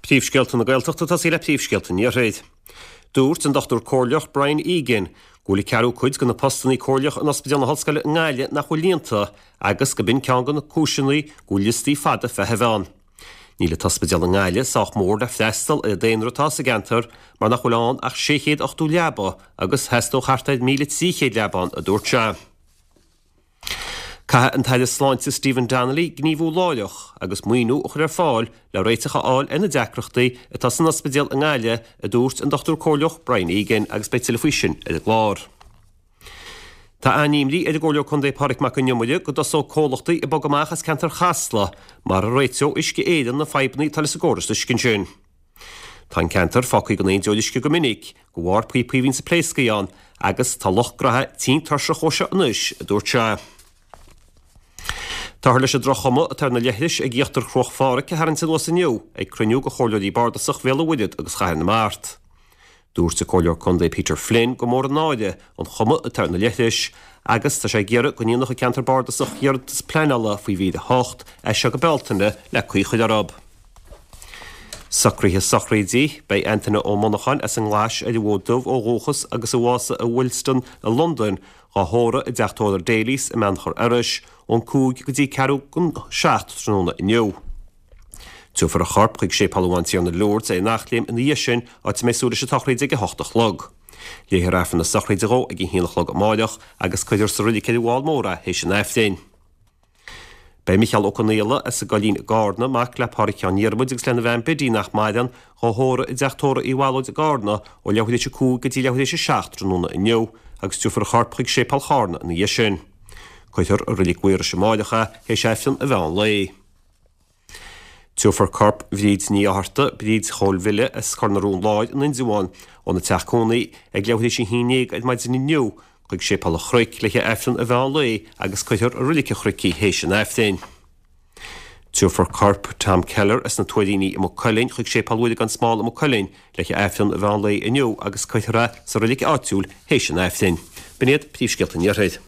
Príomhscéalta na Gaeltachta ag tosaí le príomhscéalta an Iarthair. Dúirt an Dochtúir Comhairleach Brian Egan go bhfuil an ceathrú cuid de na postanna comhairleacha in Ospidéal na hOllscoile i nGaillimh nach bhfuil líonta agus gurb in ceann de na cúiseanna go bhfuil liostaí fada feithimh ann. Níl an t-ospidéal i nGaillimh sách mór le freastal ar an daonra atá sa gceantar mar nach bhfuil ann ach 680 leaba agus theastódh thart ar 1,300 leaba ann, a dúirt sé. Caithfidh an tAire Sláinte Stephen Donnelly gníomhú láithreach agus maoiniú a chur ar fáil le réiteach a fháil ar na deacrachtaí atá san ospidéal i nGaillimh, a dúirt an Dochtúir Comhairleach Brian Egan agus beidh tuilleadh faoi sin ar an gclár. Tá an-imní ar an gComhairleoir Contae Pádraig Mac Con Iomaire go dtosóidh comhlachtaí ag bogadh amach as ceantar Chasla mara réiteoidh Uisce Éireann na fadhbanna atá leis an gcóras uisce ansin. Tá an ceantar fágtha gan aon deoir uisce go minic, de bharr píopaí a bhíonns ag pléascadh ann, agus tá lucht gnaithe tinn tuirseach dhó seo anois, a dúirt sé. Táthar leis an droch-chuma atá ar na leithris ag íochtar Chruach Phádraig a tharraingt anuas inniu ag cruinniú de chomhairleoirí bardasach Bhéal an Mhuirthead agus Chathair na Mart. Dúirt an Comhairleoir Contae Peter Flynn gur mór an náire an chuma atá ar na leithris agus tá sé ag iarraidh go ndéanfadh an ceantar bardasach iarratas pleanála faoi mhír 8 as seo go Bealtaine le caoi a chur orthu. Socruithe sochraide, Beidh Antaine Ó Monacháin as an nGlais ar an bhFód Dubh ó dhúchas agus a bhásaigh i Willesden i Londain, dhá thórramh i dteach tórraimh Daly's i mBeannchar Iorrais ón 5 go dtí ceathrú don 7 tráthnóna inniu. Tabharfar a chorp chuig Séipéal an Bhantiarna Lourdes ar an Eachléim ina dhiaidh sin, áit a mbeidh súil leis an tsochraid ag 8 a chlog. Léifear Aifreann na sochraide dhó ag a haon a chlog amáireach agus cuirfear sa roilig ar an bhFál Mór é théis an Aifrinn. Beidh Micheál Ó Conaola as an gCoillín i gCárna, mac le Pádraig Sheáin Dhiarmuid agus lena bhean Biddy nach maireann, dhá thórramh i dteach tórraimh Uí Bhallóid i gCárna ó leathuair théis a 5 go dtí leathuair théis a 7 tráthnóna inniu agus tabharfar a chorp chuig Séipéal Chárna ina dhiaidh sin. Cuirfear i Reilig Mhaorais amáireach é théis Aifreann an mheán lae. Tabharfar corp Bhríd Ní Fhátharta, Bríd Chóil Bhille as Cor na Rón Láir in Indreabhán, óna teach cónaí ag leathuair théis a haon déag ar maidin inniu chuig Séipéal an Chnoic le haghaidh Aifreann an mheán lae agus cuirfear i Reilig an Chnoic í théis an Aifrinn. Tabharfar corp Tom Keller as na Tuairíní i Maigh Cuilinn chuig Séipéal Mhuire gan Smál i Maigh Cuilinn le haghaidh Aifreann an mheán lae inniu agus cuirfear é sa reilig áitiúil théis an Aifrinn. B'in iad príomhscéalta an Iarthair.